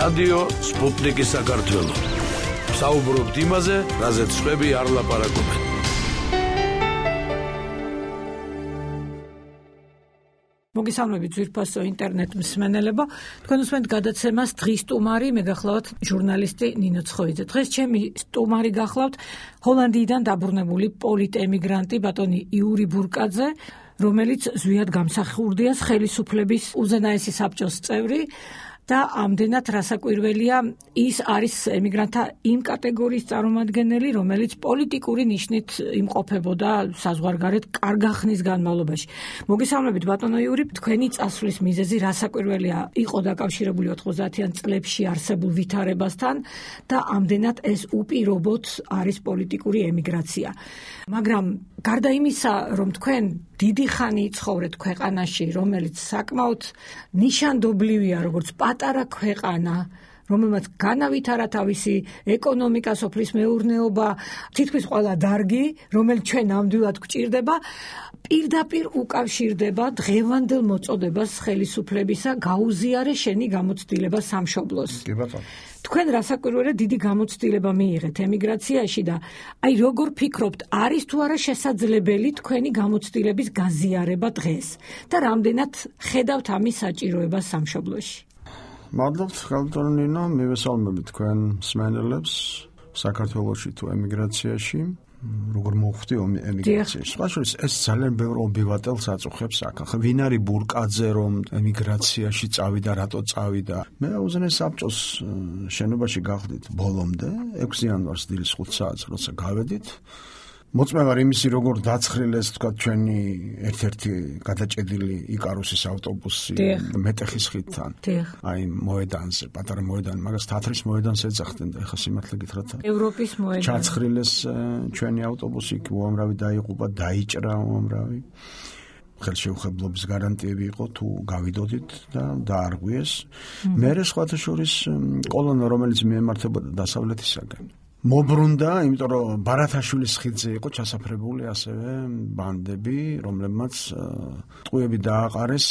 რადიო სპუტნიკი საქართველო. საუბრობთ იმაზე, რაზეც სხვები არ ლაპარაკობენ. მოგესალმებით ძვირფასო ინტერნეტ მსმენელებო. თქვენ უსმენთ გადაცემას დღის სტუმარი, მე გახლავთ ჟურნალისტი ნინო ცხოიძე. დღეს ჩემი სტუმარი გახლავთ ჰოლანდიიდან დაბრუნებული პოლიტ-ემიგრანტი ბატონი იური ბურკაძე, რომელიც ზვიად გამსახურდია ხელისუფლების უზენაესი საბჭოს წევრი და ამდენად რასაკვირველია, ის არის ემიგრანტთა იმ კატეგორიის წარმომადგენელი, რომელიც პოლიტიკური ნიშნით იმყოფებოდა საზღვარგარეთ კარგა ხნის განმავლობაში. მოგესალმებით ბატონო იური, თქვენი წასვლის მიზეზი რასაკვირველია, იყო დაკავშირებული 90-იან წლებში არსებულ ვითარებასთან და ამდენად ეს უპირობოდ არის პოლიტიკური ემიგრაცია. მაგრამ გარდა იმისა, რომ თქვენ დიდი ხანი ცხოვრეთ ქვეყანაში, რომელიც საკმაოდ ნიშანდობლივია, როგორც პატარა ქვეყანა, რომელმაც განავითარა თავისი ეკონომიკა, სოფლის მეურნეობა, თითქმის ყველა დარგი, რომელიც ჩვენ ნამდვილად გვჭირდება, პირდაპირ უკავშირდება დღევანდელ მოწოდებას ხელისუფლებისა გაუზიარე შენი გამოცდილება სამშობლოს. კი ბატონო. თქვენ რასაკვირველია დიდი გამოცდილება მიიღეთ ემიგრაციაში და აი როგორ ფიქრობთ, არის თუ არა შესაძლებელი თქვენი გამოცდილების გაზიარება დღეს და რამდენად ხედავთ ამის საჭიროებას სამშობლოში? მადლობთ ხალხო ნინო, მივესალმებით თქვენ მსმენელებს საქართველოში თუ ემიგრაციაში. როგორ მოხვდი ემიგრაციაში. სხვაშორის ეს ძალიან ბევრ ობივატელს აწუხებს აქ. ახლა ვინ არის ბურკაძე, რომ ემიგრაციაში წავიდა, რატო წავიდა? მე უზენაეს საბჭოს შენობაში გავხდით ბოლომდე, 6 იანვარს დილის 5 საათს, როცა გავედით. მოწმე ვარ იმისი, როგორ დაცხრილეს თქვა ჩვენი ერთ-ერთი გადაჭედილი იკარუსის ავტობუსი მეტეხის ხიდთან. აი მოედანზე, პატარა მოედანი, მაგას თათრის მოედანს ეძახდნენ და ეხა სიმართლე გითხრათ. ევროპის მოედანი. ჩაცხრილეს ჩვენი ავტობუსი, უამრავი დაიღუპა, დაიჭრა უამრავი. ხელშეუხებლობის გარანტიები იყო თუ გავიდოდით და დაარღვიეს. მერე სხვათა შორის კოლონა, რომელიც მიემართებოდა დასავლეთისაგან. მობრუნდა, იმიტომ რომ ბარათაშვილის ხიდზე იყო ჩასაფრებული ასევე ბანდები, რომლებმაც ტყუები დააყარეს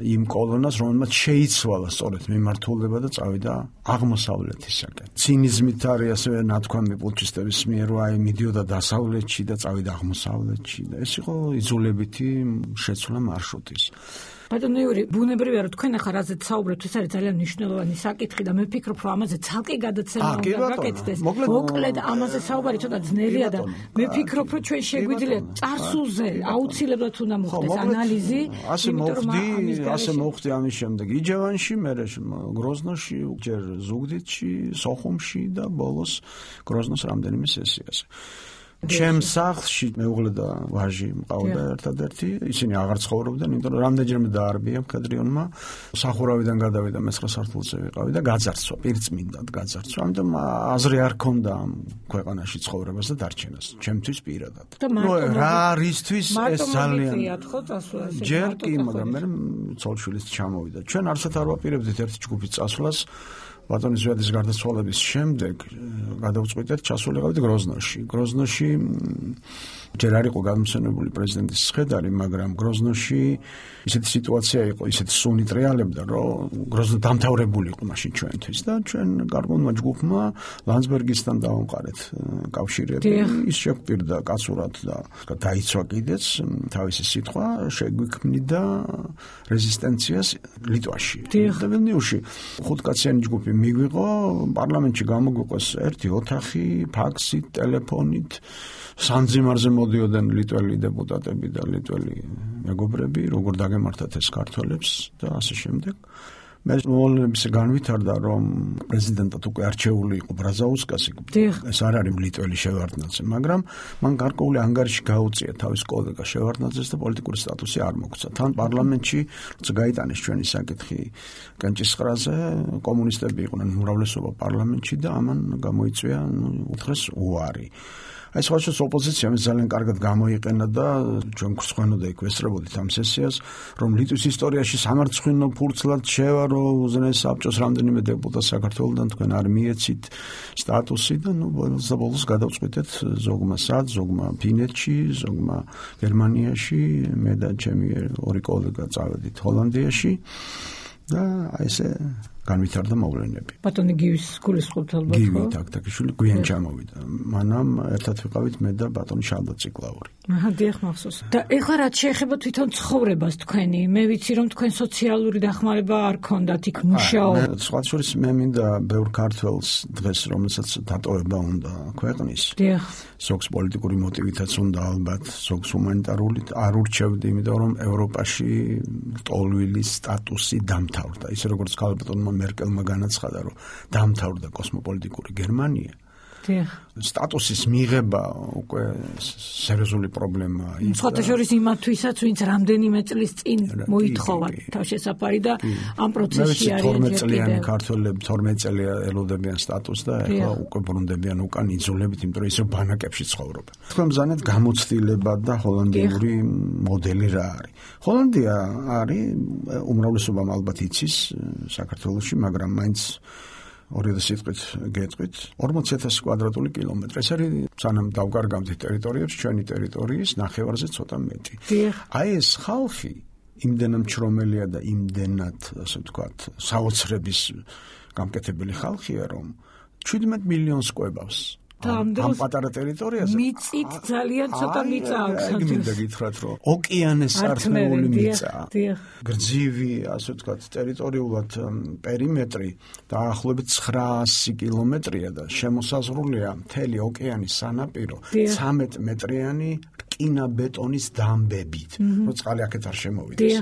იმ კოლონას, რომელმაც შეიცვალა სწორედ მიმართულება და წავიდა აღმოსავლეთისაკენ. ცინიზმით არის ასევე ნათქვამი პუტჩისტების მიერ, რომ აი მიდიოდა დასავლეთში და წავიდა აღმოსავლეთში და ეს იყო იძულებითი შეცვლა მარშრუტის. ბატონო იური, ბუნებრივია რომ თქვენ ახლა რაზეც საუბრობთ, ეს არის ძალიან მნიშვნელოვანი საკითხი და მე ვფიქრობ, რომ ამაზე ცალკე გადაცემა უნდა გაკეთდეს. მოკლედ ამაზე საუბარი ცოტა ძნელია და მე ვფიქრობ, რომ ჩვენ შეგვიძლია წარსულზე აუცილებლად უნდა მოხდეს ანალიზი. ასე მოხდი ამის შემდეგ იჯევანში, მერე გროზნოში, ჯერ ზუგდიდში, სოხუმში და ბოლოს გროზნოს რამდენიმე სესიაზე. ჩემ სახლში მეუღლე და ვაჟი მყავდა ერთადერთი, ისინი აღარ ცხოვრობდნენ, იმიტომ რომ რამდენჯერმე დაარბია მხედრიონმა, სახურავიდან გადავიდა მე-9 სართულზე ვიყავი და გაძარცვა, პირწმინდად გაძარცვა, ამიტომ აზრი არ ქონდა ამ ქვეყანაში ცხოვრებას და დარჩენას, ჩემთვის პირადად. რა არისთვის ეს ძალიან ჯერ კი, მაგრამ მე ცოლშვილიც ჩამოვიდა. ჩვენ არცად არ ვაპირებდით ერთი ჯგუფის წასვლას. ბატონის ზვიადის გარდაცვალების შემდეგ გადავწყვიტეთ ჩასულიყავით გროზნოში. გროზნოში ჯერ არ იყო გადმოცემული პრეზიდენტის სხედარი, მაგრამ გროზნოში ისეთი სიტუაცია იყო, ისეთი სუნი ტრიალებდა, რომ გროზნო დამთავრებული იყო მაშინ ჩვენთვის და ჩვენ გარკვეულმა ჯგუფმა ლანდსბერგისთან დავამყარეთ კავშირები. ის შეგვპირდა კაცურად და დაიცვა კიდეც თავისი სიტყვა, შეგვიქმნიდა რეზისტენციას ლიტვაში და ვილნიუსში. 5 კაციანი ჯგუფი მიგვიყო, პარლამენტში გამოგვიყვეს ერთი ოთახი, ფაქსით, ტელეფონით, სანძიმარზე მოდიოდნენ ლიტველი დეპუტატები და ლიტველი მეგობრები, როგორ დაგემართათ ეს ქართველებს და ასე შემდეგ. მე მოვლენების განვითარდა, რომ პრეზიდენტად უკვე არჩეული იყო ბრაზაუსკასი. ეს არ არის ლიტველი შევარდნაძე, მაგრამ მან გარკვეული ანგარიში გაუწია თავის კოლეგა შევარდნაძეს და პოლიტიკური სტატუსი არ მოგცა. თან პარლამენტში გაიტანეს ჩვენი საკითხი კენჭისყრაზე, კომუნისტები იყვნენ უმრავლესობა პარლამენტში და ამან გამოიწვია უთხრეს უარი. აი სხვაშორის ოპოზიციამ ძალიან კარგად გამოიყენა და ჩვენ გვსვენოდა იქ ვესწრებოდით ამ სესიას, რომ ლიტვის ისტორიაში სამარცხვინო ფურცლად შევარო უზენაეს საბჭოს რამდენიმე დეპუტატს საქართველოდან თქვენ არ მიეცით სტატუსი და ბოლოს გადავწყვიტეთ ზოგმა სად, ზოგმა ფინეთში, ზოგმა გერმანიაში, მე და ჩემი ორი კოლეგა წავედით ჰოლანდიაში და აი ესე განვითარდა მოვლენები. ბატონი გივის გულისხმობთ ალბათ. გივი თაქთაქიშვილი გვიან ჩამოვიდა. მანამ ერთად ვიყავით მე და ბატონი შალვა ციკლაური. დიახ მახსოვს. და ეხლა რაც შეეხება თვითონ ცხოვრებას თქვენი, მე ვიცი რომ თქვენ სოციალური დახმარება არ ქონდათ იქ მუშაობა. სხვა შორის მე მინდა ბევრ ქართველს დღეს რომელსაც დატოვება უნდა ქვეყნის. დიახ. ზოგს პოლიტიკური მოტივითაც უნდა ალბათ, ზოგს ჰუმანიტარული არ ურჩევდი, იმიტომ რომ ევროპაში ტოლვილის სტატუსი დამთავრდა. ისე როგორც ქალბატონმა მერკელმა განაცხადა, რომ დამთავრდა კოსმოპოლიტიკური გერმანია. სტატუსის მიღება უკვე სერიოზული პრობლემაა. სხვათა შორის იმათვისაც, ვინც რამდენიმე წლის წინ მოითხოვა თავშესაფარი და ამ პროცესში არის 12 წლიანი ქართველები 12 წელი ელოდებიან სტატუსს და ეხლა უკვე ბრუნდებიან უკან იძულებით, იმიტომ რომ ისევ ბანაკებში ცხოვრობენ. თქვენ ბრძანეთ გამოცდილება და ჰოლანდიური მოდელი რა არის. ჰოლანდია არის უმრავლესობამ ალბათ იცის საქართველოში, მაგრამ მაინც 2000 სიტყვით გეტყვით 40,000 კვადრატული კილომეტრი. ეს არის სანამ დავკარგავთ ტერიტორიებს, ჩვენი ტერიტორიის ნახევარზე ცოტა მეტი. აი ეს ხალხი იმდენად მჩრომელია და იმდენად, ასე ვთქვათ, საოცრების გამკეთებელი ხალხია, რომ 17 მილიონს კვებავს. ამ პატარა ტერიტორიაზე მიწით ძალიან ცოტა მიწა აქვს. აი მინდა გითხრათ, რომ ოკეანეს სარწმუნოებული მიწა. გრძივი, ასე ვთქვათ, ტერიტორიულად პერიმეტრი დაახლოებით 900 კილომეტრია და შემოსაზღვრულია მთელი ოკეანის სანაპირო 13 მეტრიანი რკინა-ბეტონის დამბებით, რომ წყალი აქეთ არ შემოვიდეს.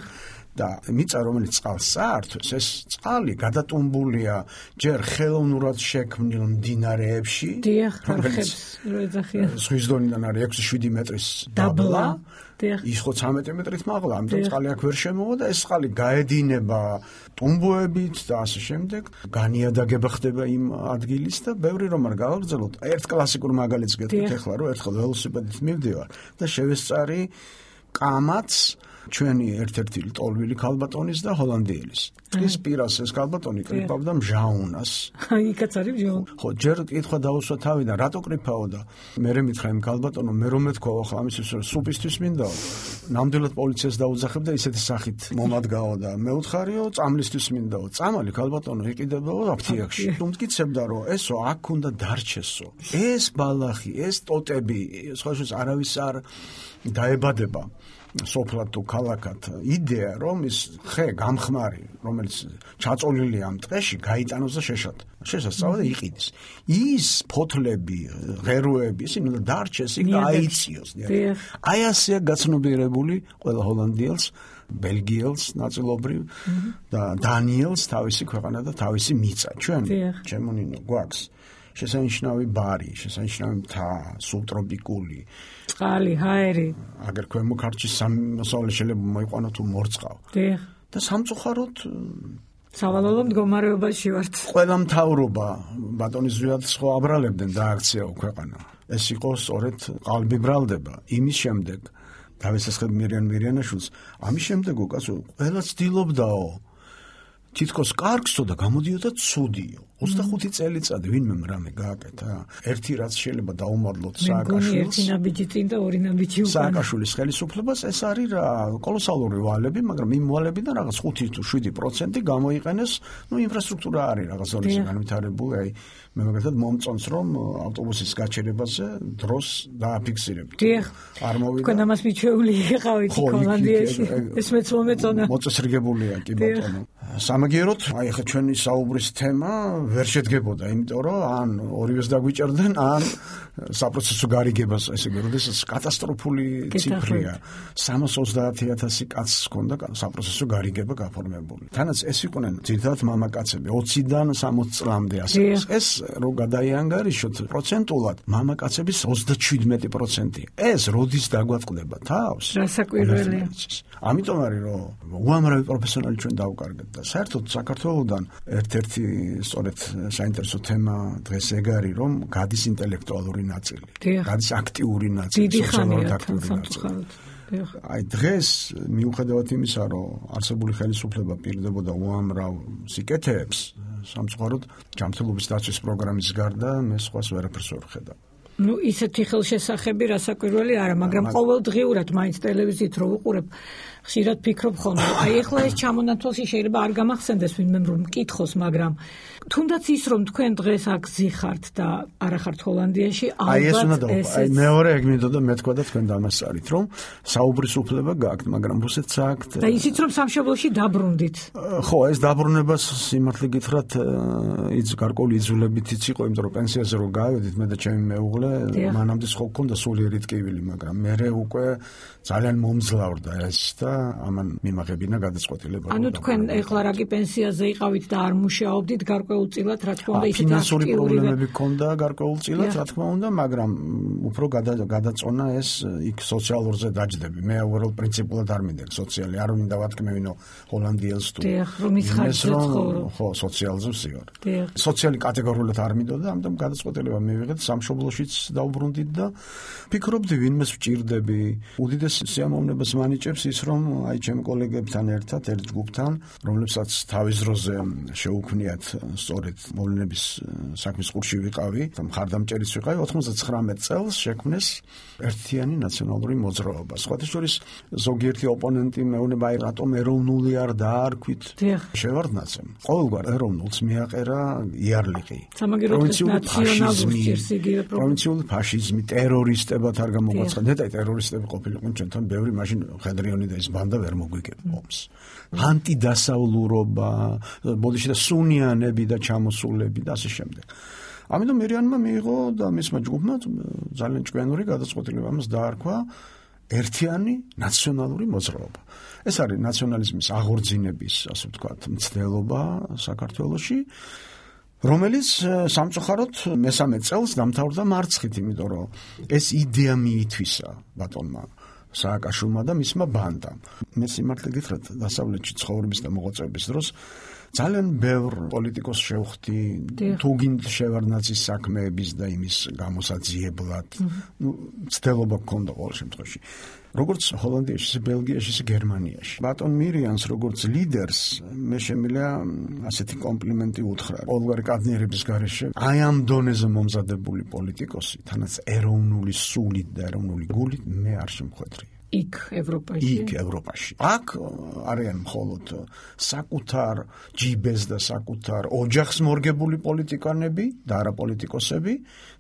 და მიწა რომელიც წყალს საერთოს, ეს წყალი გადატუმბულია ჯერ ხელოვნურად შექმნილ მდინარეებში, რომელიც ზღვის დონიდან არის 6-7 მეტრის დაბლა, ის ხო 13 მეტრით მაღლა, ამიტომ წყალი აქ ვერ შემოვა და ეს წყალი გაედინება ტუმბოებით და ასე შემდეგ, განიადაგება ხდება იმ ადგილის და ბევრი რომ არ გავაგრძელოთ. ერთ კლასიკურ მაგალითს გეტყვით ახლა, რომ ერთხელ ველოსიპედით მივდივარ და შევესწარი კამაც ჩვენი ერთ-ერთი ტოლვილი ქალბატონის და ჰოლანდიელის. ის პირას ეს ქალბატონი კრიფავდა მჟაუნას. იქაც არის მჟაუნა. ხო, ჯერ კითხვა დაუსვა თავიდან, რატო კრიფავდა? მე მითხრა იმ ქალბატონო, მე რომ მეთქვა ახლა ამისთვის სუპისთვის მინდაო. ნამდვილად პოლიციას დაუძახებ და ისეთი სახით მომადგაო და მე უთხარიო, წამლისთვის მინდაო. წამალი ქალბატონო იყიდებაო აფთიაქში. უმტკიცებდა რომ ესო აქ უნდა დარჩესო. ეს ბალახი, ეს ტოტები, სხვა შორის არავის არ დაებადება. სოფლად თუ ქალაქად იდეა რომ ის ხე გამხმარი რომელიც ჩაწოლილია ამ ტყეში გაიტანოს და შესასწავლად და იყიდეს ის ფოთლები ღეროები ისინი უნდა დარჩეს იქ და აიციოს აი ასეა გაცნობიერებული ყველა ჰოლანდიელს ბელგიელს ნაწილობრივ და დანიელს თავისი ქვეყანა და თავისი მიწა ჩვენ ჩემონინო გვაქვს შესანიშნავი ბარი, შესანიშნავი მთა, სუბტროპიკული წყალი, ჰაერი. აგერ ქვემო ქართლში სამოსავლე შეიძლება მოიყვანო თუ მორწყავ. და სამწუხაროდ სავალალო მდგომარეობაში ვართ. ყველა მთავრობა ბატონის ზვიად სხვა აბრალებდნენ და აქციაო ქვეყანა. ეს იყო სწორედ ყალბი ბრალდება. იმის შემდეგ დავესახებ მირიანაშვილს, ამის შემდეგ უკაცო ყველა ცდილობდაო თითქოს კარგსო და გამოდიოდა ცუდიო. 25 წელიწადი ვინმე რამე გააკეთა. ერთი რაც შეიძლება დაუმარლოთ სააკაშვილს. ერთი ნაბიჯი წინ და ორი ნაბიჯი უკან. სააკაშვილის ხელისუფლებას ეს არის რა კოლოსალური ვალები, მაგრამ იმ ვალებიდან რაღაც 5 თუ 7% გამოიყენეს, ინფრასტრუქტურა არის რაღაც ზონაში განვითარებული, აი მე მაგალითად მომწონს რომ ავტობუსის გაჩერებაზე დროს დააფიქსირებთ. არ მოვიდა. თქვენ ამას მიჩვეული იყავით ჰოლანდიაში. ეს მეც მომეწონა. მოწესრიგებულია კი ბატონო. სამაგიეროდ, აი ხა ჩვენი საუბრის თემა ვერ შედგებოდა, იმიტომ რომ ან ორივეს დაგვიჭერდნენ, ან საპროცესო გარიგებას, ესე იგი, როდესაც კატასტროფული ციფრია. 330,000 კაცს ჰქონდა საპროცესო გარიგება გაფორმებული. თანაც ეს იყვნენ ძირითადად მამაკაცები 20-დან 60 წლამდე ასე. ეს რო გადაიანგარიშოთ პროცენტულად, მამაკაცების 37%. ეს როდის დაგვაწყდება თავს? რასაკვირველია. ამიტომ არის რომ უამრავი პროფესიონალი ჩვენ დავკარგეთ და საერთოდ საქართველოსდან ერთ-ერთი სწორედ საინტერესო თემა დღეს ეგ არის რომ გადის ინტელექტუალური ნაწილი, გადის აქტიური ნაწილი, სოციალურად აქტიური ნაწილი. აი დღეს მიუხედავად იმისა რომ არსებული ხელისუფლება პირდებოდა უამრავ სიკეთეებს, სამწუხაროდ ჯანმრთელობის დაცვის პროგრამის გარდა მე სხვას ვერაფერს ვერ ვხედავ. ну ისეთი ხელშესახები რასაკვირველი არა, მაგრამ ყოველდღიურად მაინც ტელევიზიით რო ვუყურებ, ხშირად ფიქრობ ხოლმე. აი ეხლა ეს ჩამონათვალში შეიძლება არ გამახსენდეს ვინმე რომ მკითხოს, მაგრამ თუნდაც ის რომ თქვენ დღეს აქ ზიხართ და არა ხართ ჰოლანდიაში, ალბათ ეს მეორე ეგ მინდოდა მეთქვა და თქვენ დამასწარით რომ საუბრის უფლება გაქვთ, მაგრამ რუსეთს აქვთ. და ისიც რომ სამშობლოში დაბრუნდით. ხო, ეს დაბრუნებას სიმართლე გითხრათ, გარკვეული იძულებითიც იყო, იმიტომ რომ პენსიაზე რო გავედით მე და ჩემი მეუღლე, მანამდე ხო გქონდა სულიერი ტკივილი, მაგრამ მე უკვე ძალიან მომძლავრდა ეს და ამან მიმაღებინა გადაწყვეტილება. ანუ თქვენ ეხლა რაკი პენსიაზე იყავით და არ მუშაობდით გარკვეულწილად, რა თქმა უნდა, ისეთი ფინანსური პრობლემები ჰქონდა გარკვეულწილად, რა თქმა უნდა, მაგრამ უფრო გადაწონა ეს იქ სოციალურზე დაჯდები. მე უბრალოდ პრინციპულად არ მინდა სოციალი, არ მინდა ვათქმევინო ჰოლანდიელს თუ ხო, სოციალზე ვსივარ. სოციალი კატეგორიულად არ მინდოდა, ამიტომ გადაწყვეტილება მივიღეთ, სამშობლოშიც დავუბრუნდით და ფიქრობდი ვინმეს ვჭირდები. უდიდეს სიამოვნებას მანიჭებს ის, რომ აი ჩემ კოლეგებთან ერთად, ერთ ჯგუფთან, რომლებსაც თავის დროზე შეუქმნიათ სწორედ მოვლენების საქმის ყურში ვიყავი, მხარდამჭერიც ვიყავი, 99 წელს შექმნეს ერთიანი ნაციონალური მოძრაობა. სხვათა შორის ზოგიერთი ოპონენტი მეუბნება, აი რატომ ეროვნული არ დაარქვით? შევარდნაცემ. ყოველგვარ ეროვნულს მიაყერა იარლიყი. პროვინციული ფაშიზმი, ტერორისტებად არ გამოგვაცხადა. ნეტარი ტერორისტები ყოფილიყო ჩვენთან ბევრი, მაშინ ხედრიონი და ეს ბანდა ვერ მოგვიგებ ომს. ანტიდასავლურობა, ბოდიში და სუნიანები და ჩამოსულები და ასე შემდეგ. ამიტომ მირიანმა მიიღო და მისმა ჯგუფმა ძალიან ჭკვიანური გადაწყვეტილება ამას დაარქვა ერთიანი ნაციონალური მოძრაობა. ეს არის ნაციონალიზმის აღორძინების, ასე ვთქვათ, მცდელობა საქართველოში, რომელიც სამწუხაროდ მესამე წელს დამთავრდა მარცხით, იმიტომ რომ ეს იდეა მიითვისა ბატონმა სააკაშვილმა და მისმა ბანდამ. მე სიმართლე გითხრათ, დასავლეთში ცხოვრების და მოღვაწეობის დროს ძალიან ბევრ პოლიტიკოს შევხვდი, თუ გინდ შევარდნაცის საქმეების და იმის გამოსაძიებლად. მცდელობა გქონდა ყოველ შემთხვევაში. როგორც ჰოლანდიაში, ისე ბელგიაში, ისე გერმანიაში. ბატონ მირიანს როგორც ლიდერს მე შემიძლია ასეთი კომპლიმენტი უთხრა. ყოველგვარი კადნიერების გარეშე აი ამ დონეზე მომზადებული პოლიტიკოსი, თანაც ეროვნული სულით და ეროვნული გულით მე არ შემხვედრია. იქ ევროპაში. აქ არიან მხოლოდ საკუთარ ჯიბეს და საკუთარ ოჯახს მორგებული პოლიტიკანები და არა პოლიტიკოსები.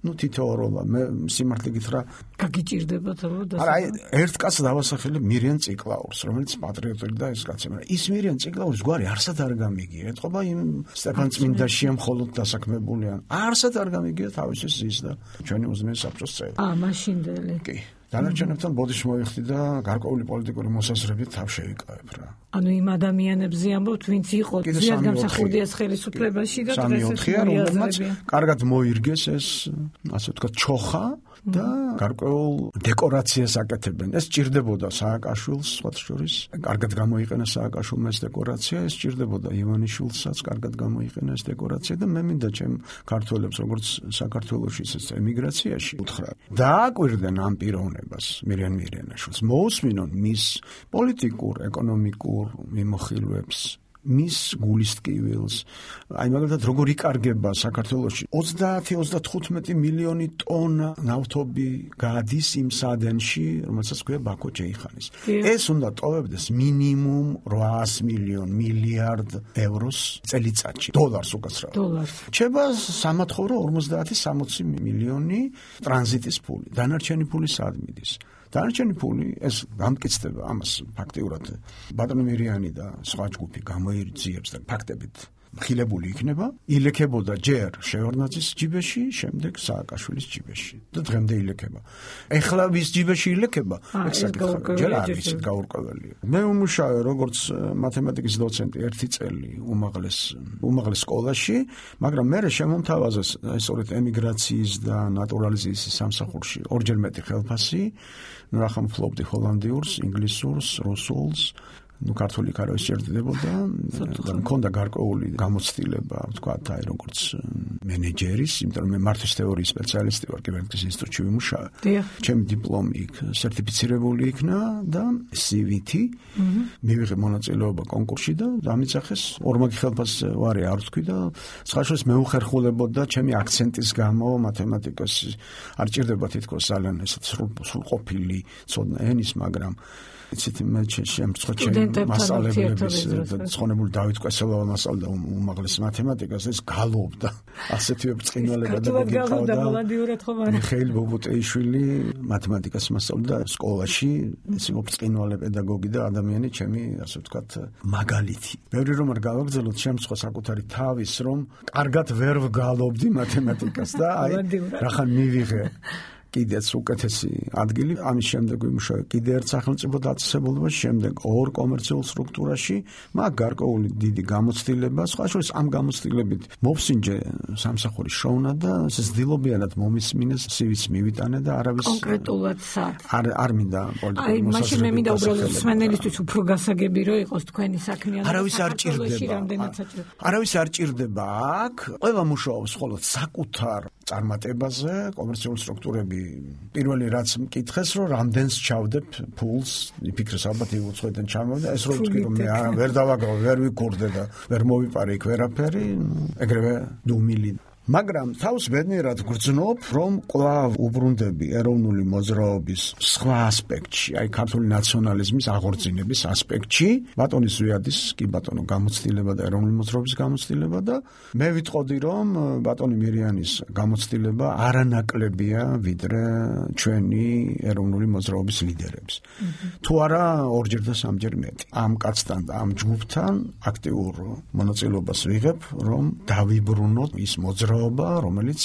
თითოეულა მე სიმართლე გითხრა, გაგიჭირდებათ რომ არა, ერთ კაცს დავასახელებ მირიან ციკლაურს, რომელიც პატრიოტული და ეს კაცი, მაგრამ ის მირიან ციკლაურის გვარი არსად არ გამიგია. ეთყობა იმ სტეფან წმინდაშია მხოლოდ დასაქმებული, არსად არ გამიგია თავისი ზის და ჩვენი უზმეს საბჭოს წევრი. მაშინდელი. კი. დანარჩენებთან ბოდიში მოვიხდი და გარკვეული პოლიტიკური მოსაზრებით თავ შევიკავებ რა. ანუ იმ ადამიანებზე ამბობთ, ვინც იყო ძლიერ გამსახურდიას ხელისუფლებაში და დღეს რომელმაც კარგად მოირგეს ეს, ასე ვთქვათ, ჩოხა და გარკვეულ დეკორაციას აკეთებენ. ეს ჭირდებოდა სააკაშვილს, სხვათა შორის, კარგად გამოიყენა სააკაშვილმა ეს დეკორაცია, ეს ჭირდებოდა ივანიშვილსაც, კარგად გამოიყენა ეს დეკორაცია და მე მინდა ჩემ ქართველებს, როგორც საქართველოში, ისე ემიგრაციაში უთხრა. დააკვირდნენ ამ პიროვნებას, მირიან მირიანაშვილს, მოусმინონ მის პოლიტიკურ, ეკონომიკურ მიმოხილვებს, მის გულის ტკივილს. აი მაგალითად როგორ იკარგება საქართველოში 30-35 მილიონი ტონა ნავთობი გადის იმ სადენში, რომელსაც ქვია ბაქო-ჯეიხანის. ეს უნდა ტოვებდეს მინიმუმ 800 მილიარდ ევროს წელიწადში, დოლარს უკაცრავად. რჩება სამათხოვრო 50-60 მილიონი ტრანზიტის ფული. დანარჩენი ფული სად მიდის? დანარჩენი ფული ეს გამკიცდება ამას ფაქტიურად ბატონი მირიანი და სხვა ჯგუფი გამოიძიებს და ფაქტებით ხილებული იქნება, ილექებოდა ჯერ შევარდნაძის ჯიბეში, შემდეგ სააკაშვილის ჯიბეში და დღემდე ილექება. ეხლა ვის ჯიბეში ილექება? ჯერ არ ვიცით, გაურკვეველია. მე ვმუშაობ როგორც მათემატიკის დოცენტი 1 წელი უმაღლეს სკოლაში, მაგრამ მე შემომთავაზა სწორედ ემიგრაციის და ნატურალიზაციის სამსახურში ორჯერ მეტი ხელფასი. ნახამ ფლობდი ჰოლანდიურს, ინგლისურს, რუსულს, ქართული კაროვის სჭირდებოდა და მქონდა გარკვეული გამოცდილება, ვთქვათ, აი როგორც მენეჯერის, იმიტომ რომ მე მართვის თეორიის სპეციალისტი ვარ, კიბერნეტიკის ინსტიტუტში ვიმუშავე. ჩემი დიპლომი იქ სერტიფიცირებული იქნა და CV-ით მივიღე მონაწილეობა კონკურსში და დამიცახეს ორმაგი ხელფასზე ვარი არ ვთქვი და სხვაშორის მეუხერხულებოდა ჩემი აქცენტის გამო მათემატიკას არ ჭირდება თითქოს ძალიან ესეთ სრულყოფილი ცოდნა ენის, მაგრამ იცით მე შემწყო ჩემ მასალების ცხონებული დავით კვესელავა მასალდა უმაღლეს მათემატიკას ეს გალობდა ასეთივე ბრწყინვალება და გიყავდა მიხეილ ბობუტეიშვილი მათემატიკას მასწავლდა სკოლაში ეს იყო ბრწყინვალე პედაგოგი და ადამიანი ჩემი ასე ვთქვათ მაგალითი ბევრი რომ არ გავაგრძელოთ შემწყო საკუთარი თავის რომ კარგად ვერ ვგალობდი მათემატიკას და აი რახან მივიღე კიდეც უკეთესი ადგილი, ამის შემდეგ ვიმუშავე კიდე ერთ სახელმწიფო დაწესებულებაში, შემდეგ ორ კომერციულ სტრუქტურაში, მაგ გარკვეული დიდი გამოცდილება, სხვა შორის ამ გამოცდილებით მოვსინჯე სამსახურის შოვნა და ზდილობიანად მომისმინეს CV-ს მივიტანე და არავის კონკრეტულად სად არ მინდა პოლიტიკური მოსაზრება. აი, მაშინ მე მინდა უბრალოდ სმენელისთვის უფრო გასაგები რომ იყოს თქვენი საქმიანობა. არავის არ ჭირდება. არავის არ ჭირდება აქ, ყველა მუშაობს მხოლოდ საკუთარ წარმატებაზე, კომერციული სტრუქტურები პირველი რაც მკითხეს რომ რამდენს ჩავდებ ფულს იფიქრეს ალბათ იუცხვედან ჩამოვიდა ეს რო ვთქვი რომ მე ვერ დავაგავ ვერ ვიკურდე და ვერ მოვიპარე იქ ვერაფერი ეგრევე დუმილი მაგრამ თავს ბედნიერად გრძნობ რომ კვლავ უბრუნდები ეროვნული მოძრაობის სხვა ასპექტში აი ქართული ნაციონალიზმის აღორძინების ასპექტში ბატონის ზვიადის კი ბატონო გამოცდილება და ეროვნული მოძრაობის გამოცდილება და მე ვიტყოდი რომ ბატონი მირიანის გამოცდილება არანაკლებია ვიდრე ჩვენი ეროვნული მოძრაობის ლიდერების თუ არა ორჯერ და სამჯერ მეტი ამ კაცთან და ამ ჯგუფთან აქტიურ მონაწილეობას ვიღებ რომ დავიბრუნოთ ის მოძრაობა რომელიც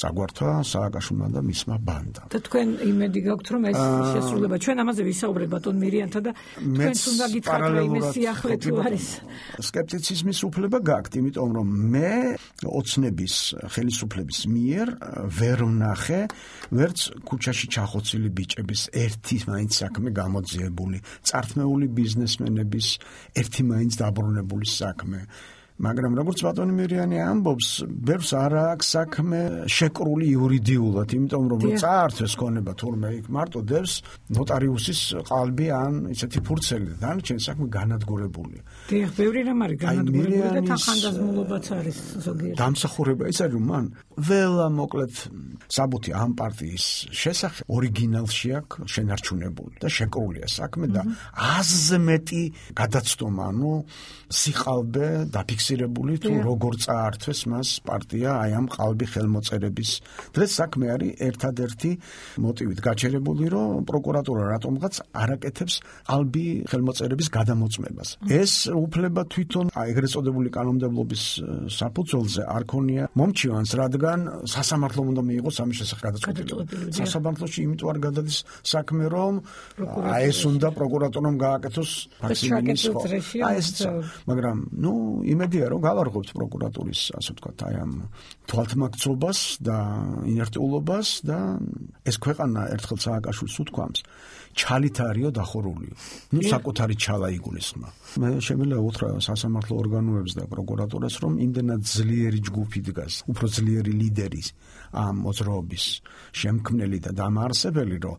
წაგვართვა სააკაშვილმა და მისმა ბანდამ. და თქვენ იმედი გაქვთ რომ ეს შესრულება ჩვენ ამაზე ვისაუბრებთ ბატონ მირიანთან და თქვენც უნდა გითხრათ რომ იმის სიახლე თუ არის. სკეპტიციზმის უფლება გაქვთ, იმიტომ რომ მე ოცნების ხელისუფლების მიერ ვერ ვნახე ვერც ქუჩაში ჩახოცილი ბიჭების ერთი მაინც საქმე გამოძიებული, წართმეული ბიზნესმენების ერთი მაინც დაბრუნებული საქმე. მაგრამ როგორც ბატონი მირიანი ამბობს, ბევრს არ აქვს საქმე შეკრული იურიდიულად, იმიტომ რომ წაართვეს ქონება თურმე იქ მარტო დევს ნოტარიუსის qalbi ან ისეთი ფურცელი, დანარჩენი საქმე განადგურებულია. დიახ, ბევრი რამ არის განადგურებული და თანხმდაზმულობაც არის ზოგიერთ. დამსახურება ის არის რომ მან ველა მოკლედ საბუთი ამ პარტიის შესახებ ორიგინალში აქვს შენარჩუნებული და შეკრულია საქმე და აზზე მეტი გადაცდომა, ანუ სიყალბე დაფიქსირებული თუ როგორ წაართვეს მას პარტია აი ამ ყალბი ხელმოწერების. დღეს საქმე არის ერთადერთი მოტივით გაჩერებული, რომ პროკურატურა რატომღაც არაკეთებს ყალბი ხელმოწერების გადამოწმებას. ეს უფლება თვითონ ეგრეთ წოდებული კანონმდებლობის საფუძველზე არ ქონია მომჩივანს, რადგან სასამართლომ უნდა მიიღოს ამის შესახებ გადაწყვეტილება. სასამართლოში იმიტომ არ გადადის საქმე, რომ ეს უნდა პროკურატურამ გააკეთოს მაქსიმუმის ხო. მაგრამ იმედია რომ გავარღვევთ პროკურატურის ასე ვთქვათ აი ამ თვალთმაქცობას და ინერტიულობას და ეს ქვეყანა ერთხელ სააკაშვილს უთქვამს ჩალით არისო დახურულიო. საკუთარი ჩალა იგულისხმა. მე შემიძლია უთხრა სასამართლო ორგანოებს და პროკურატურას რომ იმდენად ძლიერი ჯგუფი დგას, უფრო ძლიერი ლიდერი ამ მოძრაობის შემქმნელი და დამაარსებელი, რომ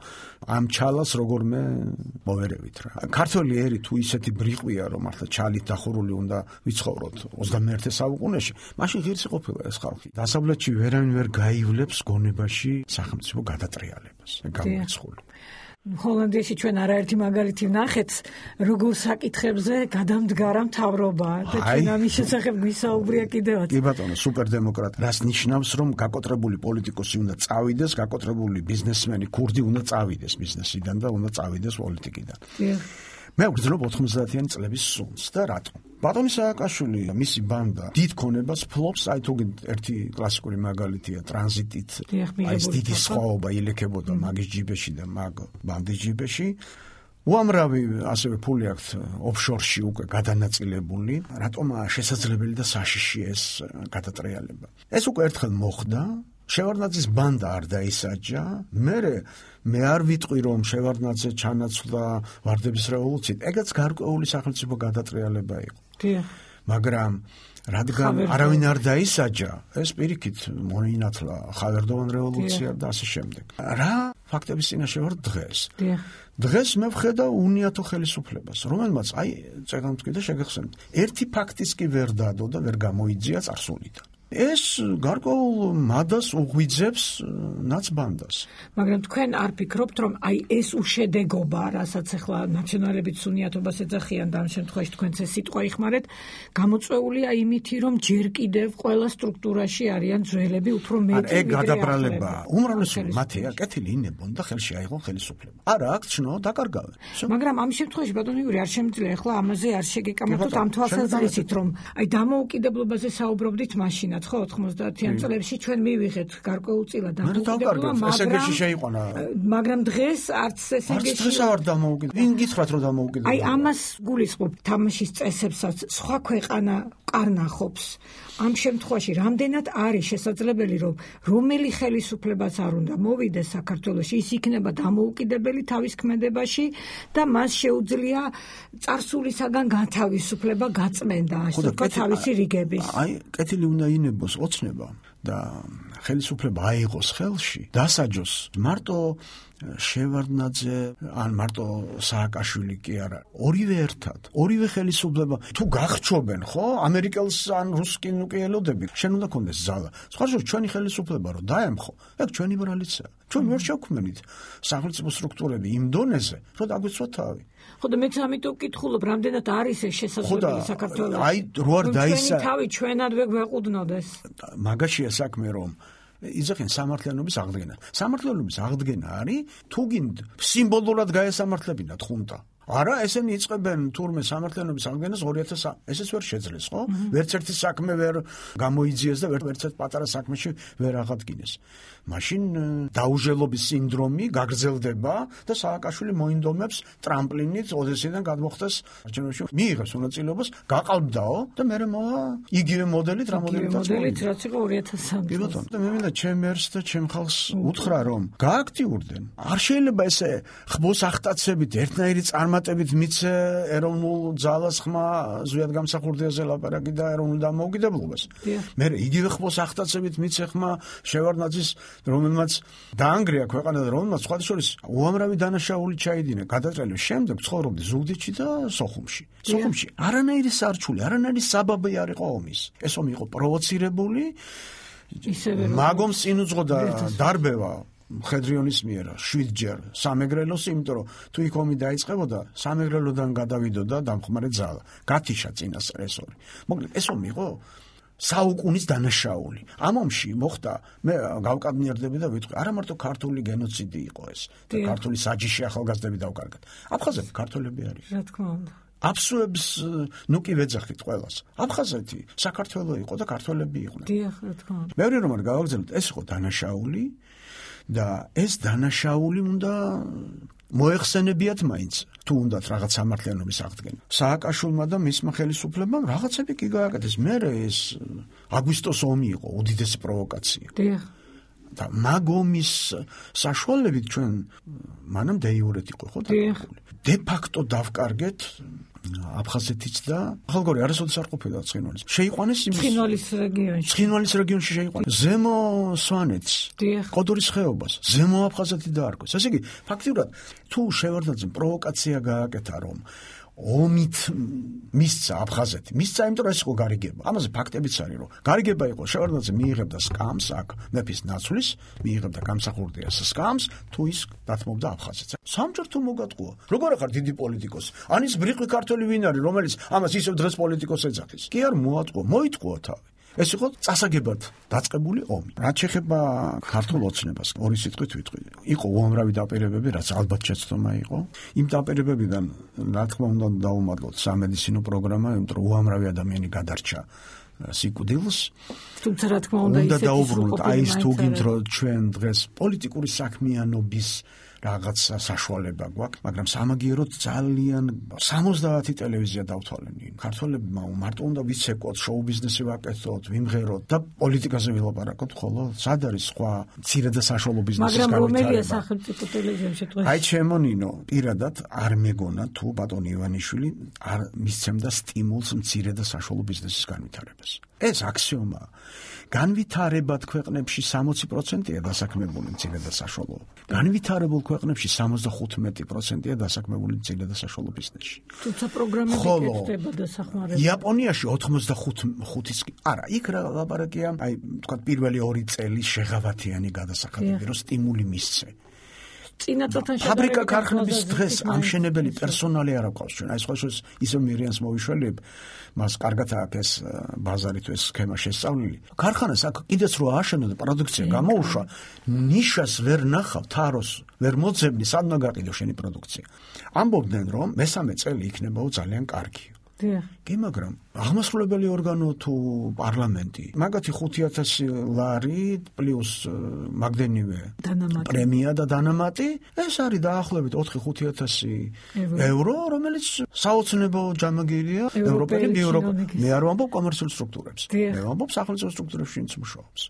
ამ ჩალას როგორმე მოვერევით რა. ქართველი ერი თუ ისეთი ბრიყვია, რომ მართლა ჩალით დახურული უნდა ვიცხოვროთ 21 საუკუნეში, მაშინ ღირსი ყოფილა ეს ხალხი. დასავლეთში ვერავინ ვერ გაივლებს გონებაში სახელმწიფო გადატრიალებას. გამოიცხული. ჰოლანდიაში ჩვენ არაერთი მაგალითი ვნახეთ, როგორ საკითხებზე გადამდგარა მთავრობა და ჩვენ ამის შესახებ გვისაუბრია კიდევაც. კი ბატონო, სუპერდემოკრატი. რას ნიშნავს, რომ გაკოტრებული პოლიტიკოსი უნდა წავიდეს, გაკოტრებული ბიზნესმენი ქურდი უნდა წავიდეს ბიზნესიდან და უნდა წავიდეს პოლიტიკიდან. მე ვგრძნობ 90-იანი წლების სუნს და რატომ? ბატონი სააკაშვილი და მისი ბანდა დიდ ქონებას ფლობს, აი თუ ერთი კლასიკური მაგალითია ტრანზიტით. აი ეს დიდი სხვაობა ილექებოდა მაგის ჯიბეში და მაგ ბანდის ჯიბეში. უამრავი ასევე ფული აქვს ოფშორში უკვე გადანაწილებული. რატომაა შესაძლებელი და საშიში ეს გადატრიალება? ეს უკვე ერთხელ მოხდა შევარდნაძის ბანდა არ დაისაჯა, მე არ ვიტყვი რომ შევარდნაძე ჩანაცვლა ვარდების რევოლუციით, ეგაც გარკვეული სახელმწიფო გადატრიალება იყო. მაგრამ რადგან არავინ არ დაისაჯა, ეს პირიქით მოინათლა ხავერდოვან რევოლუცია და ასე შემდეგ. რა ფაქტების წინაშე ვარ დღეს? დღეს მე ვხედავ უნიათო ხელისუფლებას, რომელმაც წეგანმთქვი და შეგეხსენებთ, ერთი ფაქტის კი ვერ დადო და ვერ გამოიძია წარსულიდან. ეს გარკვეულ მადას უღვიძებს ნაცბანდას. მაგრამ თქვენ არ ფიქრობთ, რომ ეს უშედეგობა, რასაც ახლა ნაციონალებიც უნიათობას ეძახიან და ამ შემთხვევაში თქვენც ეს სიტყვა იხმარეთ, გამოწვეულია იმითი, რომ ჯერ კიდევ ყველა სტრუქტურაში არიან ძველები უფრო მეტი ვიდრე გადაბრალება. უმრავლესობა მათია კეთილი ინებონ და ხელში აიღონ ხელისუფლება. არა აქ ჩნო დაკარგავენ. მაგრამ ამ შემთხვევაში ბატონო იური არ შემიძლია ახლა ამაზე არ შეგეკამათოთ ამ თვალსაზრისით, რომ დამოუკიდებლობაზე საუბრობდით მაშინ ხო 90-იან წლებში ჩვენ მივიღეთ გარკვეულწილად დამოუკიდებლობა, მაგრამ დღეს არც ესენგეში დღეს არ დამოუკიდებლობა. ვინ გითხრათ რომ დამოუკიდებლობა? ამას გულისხმობ თამაშის წესებსაც სხვა ქვეყანა კარნახობს. ამ შემთხვევაში რამდენად არის შესაძლებელი რომ რომელი ხელისუფლებას არ უნდა მოვიდეს საქართველოში, ის იქნება დამოუკიდებელი თავის ქმედებაში და მას შეუძლია წარსულისაგან განთავისუფლება გაწმენდა, ასე ვთქვათ, თავისი რიგების. კეთილი უნდა ინებოს ოცნება და ხელისუფლება აიღოს ხელში, დასაჯოს მარტო შევარდნაძე ან მარტო სააკაშვილი კი არა, ორივე ერთად, ორივე ხელისუფლება თუ გახჩობენ, ხო, ამერიკელს ან რუსს კი ნუკიელოდები, შენ უნდა კონდეს ზალა. სხვა შორის ჩვენი ხელისუფლება რო დაემხო, ეგ ჩვენი ბრალიცაა. ჩვენ ვერ შევქმნით სახელმწიფო სტრუქტურები იმ დონეზე, რომ დაგვიცვათ თავი. ხო და მეც ამიტომ ვკითხულობ, რამდენად არის ეს შესაძლებელი საქართველოში. რო არ დაისა თავი ჩვენადვე გვეყუდნოდეს. მაგაშია საქმე რომ იძახენ სამართლიანობის აღდგენა. სამართლიანობის აღდგენა არის თუ გინდ სიმბოლურად გაესამართლებინათ ხუნტა. არა, ესენი იწყებენ თურმე სამართლიანობის აღდგენას 2003. ესეც ვერ შეძლეს, ხო? ვერც ერთი საქმე ვერ გამოიძიეს და ვერც ერთ პატარა საქმეში ვერ აღადგინეს. მაშინ დაუჟელობის სინდრომი გაგრძელდება და სააკაშვილი მოინდომებს ტრამპლინით ოდესიდან გადმოხდეს არჩევნებში. მიიღებს მონაწილეობას, გაყალბდაო და მე მოვა იგივე მოდელით, რა მოდელითაც რაც იყო 2003 წელს. და მე მინდა ჩემ ერს და ჩემ ხალხს უთხრა რომ გააქტიურდნენ. არ შეიძლება ესე ხბოს ახტაცებით ერთნაირი წარმატებით მიცე ეროვნულ ძალას ხმა ზვიად გამსახურდიაზე ლაპარაკი და ეროვნულ დამოუკიდებლობას. მე იგივე ხბოს ახტაცებით მიცე ხმა შევარდნაძის რომელმაც დაანგრია ქვეყანა და რომელმაც სხვა შორის უამრავი დანაშაული ჩაიდინა გადატრიალების შემდეგ ცხოვრობდი ზუგდიდში და სოხუმში. სოხუმში არანაირი სარჩული, არანაირი საბაბი არ იყო ომის. ეს ომი იყო პროვოცირებული. მაგომს წინ უძღოდა დარბევა მხედრიონის მიერ 7-ჯერ სამეგრელოს, იმიტომ რომ თუ იქ ომი დაიწყებოდა, სამეგრელოდან გადავიდოდა დამხმარე ძალა. გათიშა წინასწრესორი. მოკლედ ეს ომი იყო საუკუნის დანაშაული. ამ ომში მოხდა, მე გავკადნიერდები და ვიტყვი, არა მარტო ქართული გენოციდი იყო ეს და ქართული საჯიში ახალგაზრდები დავკარგეთ. აფხაზები ქართველები არის. რა თქმა უნდა. აფსუებს ნუ კი ვეძახით ყველას. აფხაზეთი საქართველო იყო და ქართველები იყვნენ. დიახ, რა თქმა უნდა. მეორე რომ არ გავაგზავნოთ, ეს იყო დანაშაული და ეს დანაშაული უნდა მოეხსენებიათ მაინც. თუ უნდათ რაღაც სამართლიანობის აღდგენა. სააკაშვილმა და მისმა ხელისუფლებამ რაღაცები კი გააკეთეს. მე ეს აგვისტოს ომი იყო უდიდესი პროვოკაცია. დიახ. და მაგომის საშუალებით ჩვენ მანამ დეიურეთ იყო ხო დაკარგული. დე ფაქტო დავკარგეთ აფხაზეთიც და ხალგორი არასოდეს არ ყოფილა ცხინვალის. შეიყვანეს იმის ცხინვალის რეგიონში შეიყვანეს. ზემო სვანეთს, ყოდურის ხეობას, ზემო აფხაზეთი დაარქვეს. ესე იგი, ფაქტიურად თუ შევარდნაძემ პროვოკაცია გააკეთა რომ ომით მისცა აფხაზეთი. მისცა, იმიტომ რომ ეს იყო გარიგება. ამაზე ფაქტებიც არის, რომ გარიგება იყო შევარდნაძე მიიღებდა სკამს აქ მეფის ნაცვლის, მიიღებდა გამსახურდიას სკამს, თუ ის დათმობდა აფხაზეთს. სამჯერ თუ მოგატყუა. როგორ ახარ დიდი პოლიტიკოსი? ან ის ბრიყვი ქართველი ვინ არის, რომელიც ამას ისევ დღეს პოლიტიკოს ეძახის? კი არ მოატყუა, მოიტყუა თავი. ეს იყო წასაგებად დაწყებული ომი. რაც შეეხება ქართულ ოცნებას, ორი სიტყვით ვიტყვი. იყო უამრავი დაპირებები, რაც ალბათ შეცდომა იყო. იმ დაპირებებიდან, რა თქმა უნდა, დაუმადლოთ სამედიცინო პროგრამა, იმიტომ რომ უამრავი ადამიანი გადარჩა სიკვდილს. თუმცა რა თქმა უნდა, უნდა დაუბრუნოთ, აი ეს თუ გინდ რომ ჩვენ დღეს პოლიტიკური საქმიანობის რაღაც საშუალება გვაქვს, მაგრამ სამაგიეროდ ძალიან 70 ტელევიზია დავთვალენ. ქართველებმა მარტო უნდა ვიცეკოთ, შოუ ბიზნესი ვაკეთოთ, ვიმღეროთ და პოლიტიკაზე ვილაპარაკოთ, ხოლო სად არის სხვა მცირე და საშუალო ბიზნესის განვითარება? მაგრამ რომელია სახელმწიფო ტელევიზიაში დღეს? აი ჩემო ნინო, პირადად არ მეგონა თუ ბატონი ივანიშვილი არ მისცემდა სტიმულს მცირე და საშუალო ბიზნესის განვითარებას. ეს აქსიომაა. განვითარებად ქვეყნებში 60%-ია დასაქმებული მცირე და საშუალო. განვითარებულ ქვეყნებში 75%-ია დასაქმებული მცირე და საშუალო ბიზნესში. თუმცა პროგრამები კეთდება დასახმარებლად. იაპონიაში 85-ის არა, იქ რა ლაპარაკია, აი თქვა პირველი 2 წელი შეღავათიანი გადასახადები, რომ სტიმული მისცე. ფაბრიკა ქარხნების დღეს ამშენებელი პერსონალი არ აქვს ჩვენ. აი სხვა შეს ისე მირიანს მოვიშველებ, მას კარგად აქვს ეს ბაზარი თუ ეს სქემა შესწავლილი. ქარხანას აქ კიდეც რო ააშენო და პროდუქცია გამოუშვა, ნიშას ვერ ნახავ, თაროს ვერ მოძებნი, სად უნდა გაყიდო შენი პროდუქცია. ამბობდნენ რომ მესამე წელი იქნებაო ძალიან კარგი. კი, მაგრამ აღმასრულებელი ორგანო თუ პარლამენტი მაგათი 5,000 ლარი პლუს მაგდენივე პრემია და დანამატი, ეს არის დაახლოებით 4-5,000 ევრო, რომელიც საოცნებო ჯამაგირია ევროპელი ბიუროკრატია. მე არ ვამბობ კომერციულ სტრუქტურებს. მე ვამბობ სახელმწიფო სტრუქტურებში, ვინც მუშაობს.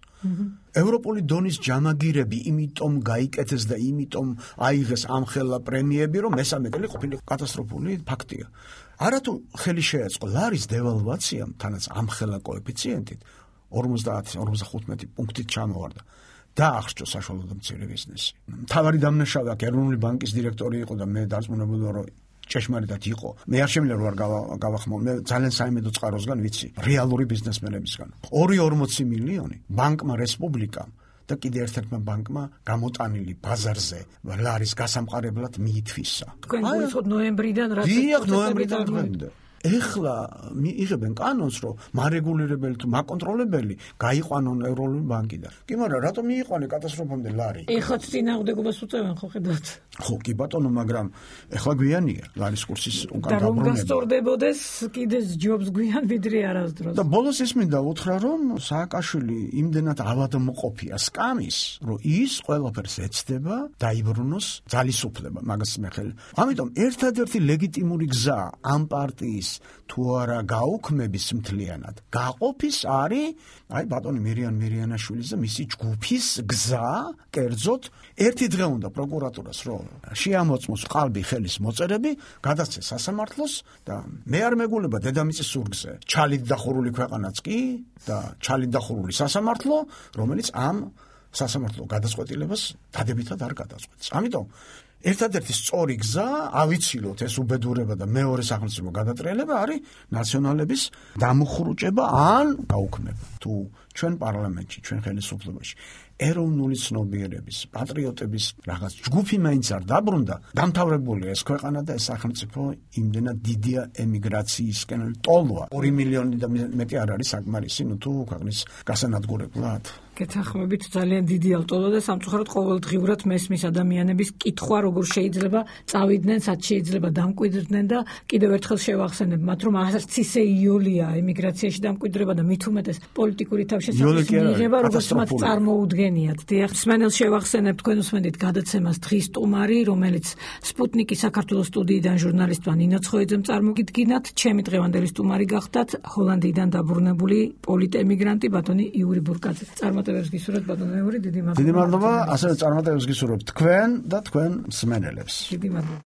ევროპული დონის ჯამაგირები იმიტომ გაიკეთეს და იმიტომ აიღეს ამხელა პრემიები, რომ მესამე წელი ყოფილი კატასტროფული ფაქტია. არათუ ხელი შეეწყო ლარის დევალვაციამ, თანაც ამხელა კოეფიციენტით 50-55 პუნქტით ჩამოვარდა. დაახშო საშუალო და მცირე ბიზნესი. მთავარი დამნაშავე აქ ეროვნული ბანკის დირექტორი იყო და მე დარწმუნებული ვარ, რომ ჭეშმარიტად იყო. მე არ შემიძლია რომ არ გავახმო, მე ძალიან საიმედო წყაროსგან ვიცი, რეალური ბიზნესმენებისგან. 240 მილიონი ბანკმა რესპუბლიკამ და კიდე ერთ-ერთმა ბანკმა გამოტანილი ბაზარზე ლარის გასამყარებლად მიითვისა. თქვენ გულისხმობთ ნოემბრიდან რა? დიახ, ნოემბრიდან დღემდე. ეხლა იღებენ კანონს, რომ მარეგულირებელი თუ მაკონტროლებელი გაიყვანონ ეროვნული ბანკიდან. კი, მაგრამ რატომ მიიყვანე კატასტროფამდე ლარი? ეხლაც წინააღმდეგობას უწევენ ხო ხედავთ? ხო, კი ბატონო, მაგრამ ეხლა გვიანია ლარის კურსის უკან და რომ დაბრუნება. გასწორდებოდეს კიდე ჯობს გვიან ვიდრე არასდროს. და ბოლოს ის მინდა უთხრა, რომ სააკაშვილი იმდენად ავადმყოფია სკამის, რომ ის ყველაფერს ეცდება დაიბრუნოს ძალისუფლება, მაგას მე ხელი. ამიტომ ერთადერთი ლეგიტიმური გზა ამ პარტიის თუ არა გაუქმების მთლიანად გაყოფის არის აი ბატონი მირიანაშვილის და მისი ჯგუფის გზა, კერძოდ ერთი დღე უნდა პროკურატურას რომ შეამოწმოს ყალბი ხელის მოწერები, გადაცეს სასამართლოს და მე არ მეგულება დედამიწის ზურგზე ჩალით დახურული ქვეყანაც კი და ჩალით დახურული სასამართლო, რომელიც ამ სასამართლო გადაწყვეტილებას დადებითად არ გადაწყვეტს. ამიტომ ერთადერთი სწორი გზა ავიცილოთ ეს უბედურება და მეორე სახელმწიფო გადატრიალება არის ნაციონალების დამუხრუჭება ან გაუქმება. თუ ჩვენ პარლამენტში, ჩვენ ხელისუფლებაში ეროვნული ცნობიერების, პატრიოტების რაღაც ჯგუფი მაინც არ დაბრუნდა, დამთავრებულია ეს ქვეყანა და ეს სახელმწიფო იმდენად დიდია ემიგრაციისკენ ტოლვა. 2 მილიონი და მეტი არ არის საკმარისი, თუ ქვეყნის გასანადგურებლად. გეთანხმებით ძალიან დიდი ალტოლა და სამწუხაროდ ყოველდღიურად მესმის ადამიანების კითხვა როგორ შეიძლება წავიდნენ, სად შეიძლება დამკვიდრდნენ და კიდევ ერთხელ შევახსენებ მათ რომ არც ისე იოლია ემიგრაციაში დამკვიდრება და მით უმეტეს პოლიტიკური თავშესაფრის მიღება როგორც მათ წარმოუდგენიათ. დიახ, მსმენელს შევახსენებ თქვენ უსმენთ გადაცემას დღის სტუმარი, რომელიც სპუტნიკის საქართველოს სტუდიიდან ჟურნალისტმა ნინო ცხოიძემ წარმოგიდგინათ. ჩემი დღევანდელი სტუმარი გახდათ ჰოლანდიიდან დაბრუნებული პოლიტემიგრანტი ბატონი იური ბურკაძე. წარმატებებს გისურვებთ ბატონო იური, დიდი მადლობა. დიდი მადლობა, ასევე წარმატებებს გისურვებთ თქვენ და თქვენ მსმენელებს. დიდი მადლობა.